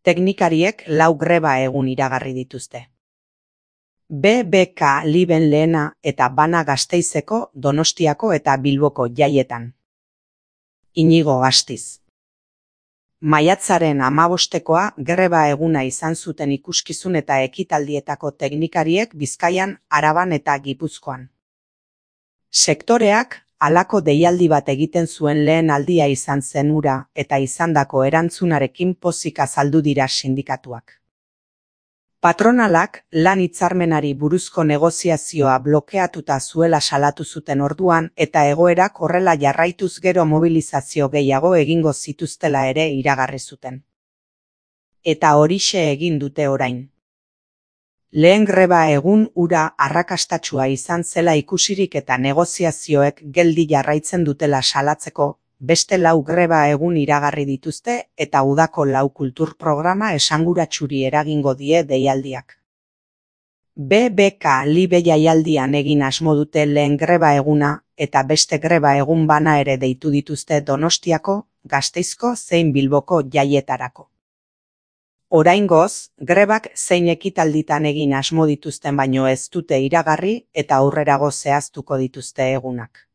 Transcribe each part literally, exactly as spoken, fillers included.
Teknikariek lau greba egun iragarri dituzte. B B K Liben Lehena eta Bana Gasteizeko, Donostiako eta Bilboko jaietan. Inigo Gastiz. Maiatzaren hamabostekoa greba eguna izan zuten ikuskizun eta ekitaldietako teknikariek Bizkaian, Araban eta Gipuzkoan. Sektoreak halako deialdi bat egiten zuen lehen aldia izan zen hura eta izandako erantzunarekin pozik azaldu dira sindikatuak. Patronalak lan hitzarmenari buruzko negoziazioa blokeatuta zuela salatu zuten orduan eta egoerak horrela jarraituz gero mobilizazio gehiago egingo zituztela ere iragarri zuten. Eta horixe egin dute orain. Lehen greba egun hura arrakastatsua izan zela ikusirik eta negoziazioek geldi jarraitzen dutela salatzeko, beste lau greba egun iragarri dituzte eta udako lau kultur programa esanguratsuri eragingo die deialdiak. B B K Libe jaialdian egin asmo dute lehen greba eguna eta beste greba egun bana ere deitu dituzte Donostiako, Gasteizko zein Bilboko jaietarako. Oraingoz, grebak zein ekitalditan egin asmo dituzten baino ez dute iragarri eta aurrerago zehaztuko dituzte egunak.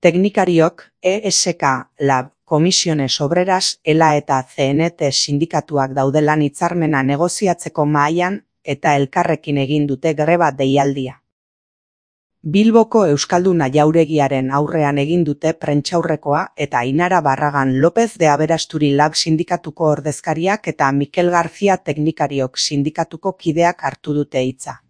Teknikariok, E S K, Lab, Comisiones Obreras, ELA eta C N T sindikatuak daude lan hitzarmena negoziatzeko mahaian eta elkarrekin egin dute greba deialdia. Bilboko Euskalduna Jauregiaren aurrean egin dute prentsaurrekoa eta Ainara Barragan López de Aberasturi Lab sindikatuko ordezkariak eta Mikel García teknikariok sindikatuko kideak hartu dute hitza.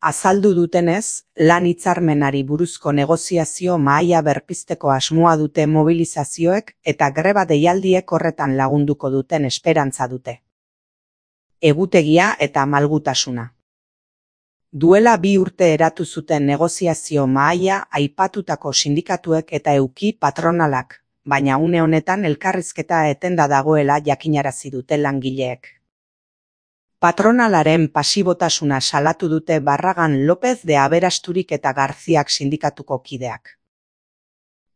Azaldu dutenez, lan hitzarmenari buruzko negoziazio mahaia berpizteko asmoa dute mobilizazioek eta greba deialdiek horretan lagunduko duten esperantza dute. Egutegia eta malgutasuna. Duela bi urte eratu zuten negoziazio mahaia aipatutako sindikatuek eta euki patronalak, baina une honetan elkarrizketa etenda dagoela jakinarazi dute langileek. Patronalaren pasibotasuna salatu dute Barragan López de Aberasturik eta Garziak sindikatuko kideak.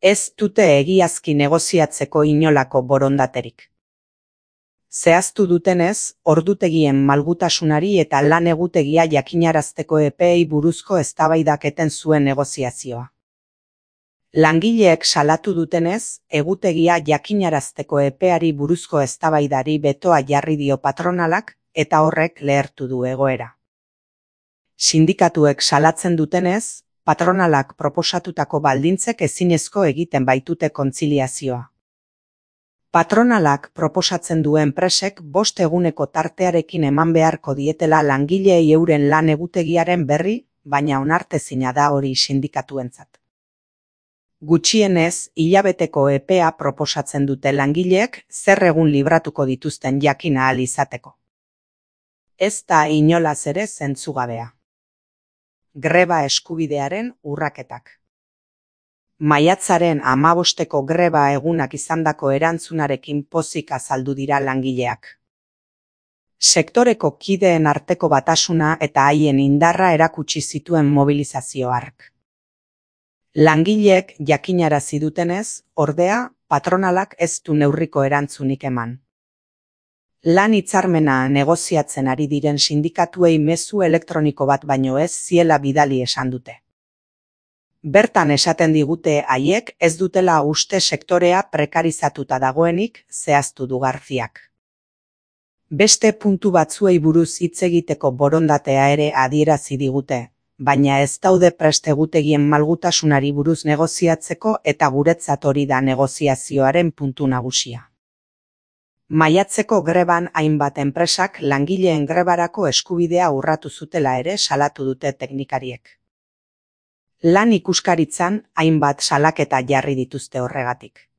Ez dute egiazki negoziatzeko inolako borondaterik. Zehaztu dutenez, ordutegien malgutasunari eta lan egutegia jakinarazteko epeei buruzko eztabaidak eten zuen negoziazioa. Langileek salatu dutenez, egutegia jakinarazteko epeari buruzko eztabaidari betoa jarri dio patronalak, eta horrek lehertu du egoera. Sindikatuek salatzen dutenez, patronalak proposatutako baldintzek ezinezko egiten baitute kontziliazioa. Patronalak proposatzen du enpresek bost eguneko tartearekin eman beharko dietela langileei euren lan egutegiaren berri, baina onartezina da hori sindikatuentzat. Gutxienez, hilabeteko epea proposatzen dute langileek zer egun libratuko dituzten jakin ahal izateko. Ez da inolaz ere zentzugabea. Greba eskubidearen urraketak. Maiatzaren hamabosteko greba egunak izandako erantzunarekin pozik azaldu dira langileak. Sektoreko kideen arteko batasuna eta haien indarra erakutsi zituen mobilizazio hark. Langileek jakinarazi dutenez, ordea, patronalak ez du neurriko erantzunik eman. Lan hitzarmena negoziatzen ari diren sindikatuei mezu elektroniko bat baino ez ziela bidali esan dute. Bertan esaten digute haiek ez dutela uste sektorea prekarizatuta dagoenik, zehaztu du Garziak. Beste puntu batzuei buruz hitz egiteko borondatea ere adierazi digute, baina ez daude prest egutegien malgutasunari buruz negoziatzeko eta guretzat hori da negoziazioaren puntu nagusia. Maiatzeko greban hainbat enpresak langileen grebarako eskubidea urratu zutela ere salatu dute teknikariek. Lan ikuskaritzan hainbat salaketa jarri dituzte horregatik.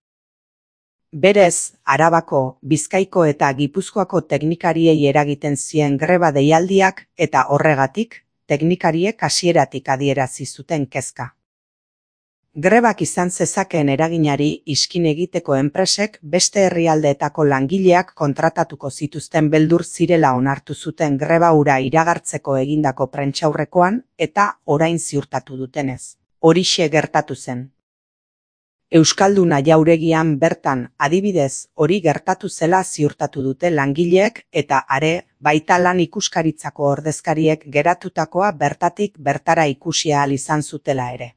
Berez, Arabako, Bizkaiko eta Gipuzkoako teknikariei eragiten zien greba deialdiak eta horregatik, teknikariek hasieratik adierazi zuten kezka. Grebak izan zezakeen eraginari iskin egiteko enpresek beste herrialdeetako langileak kontratatuko zituzten beldur zirela onartu zuten greba hura iragartzeko egindako prentsaurrekoan eta orain ziurtatu dutenez. Horixe gertatu zen. Euskalduna jauregian bertan, adibidez, hori gertatu zela ziurtatu dute langileek eta are, baita lan ikuskaritzako ordezkariek geratutakoa bertatik bertara ikusi ahal izan zutela ere.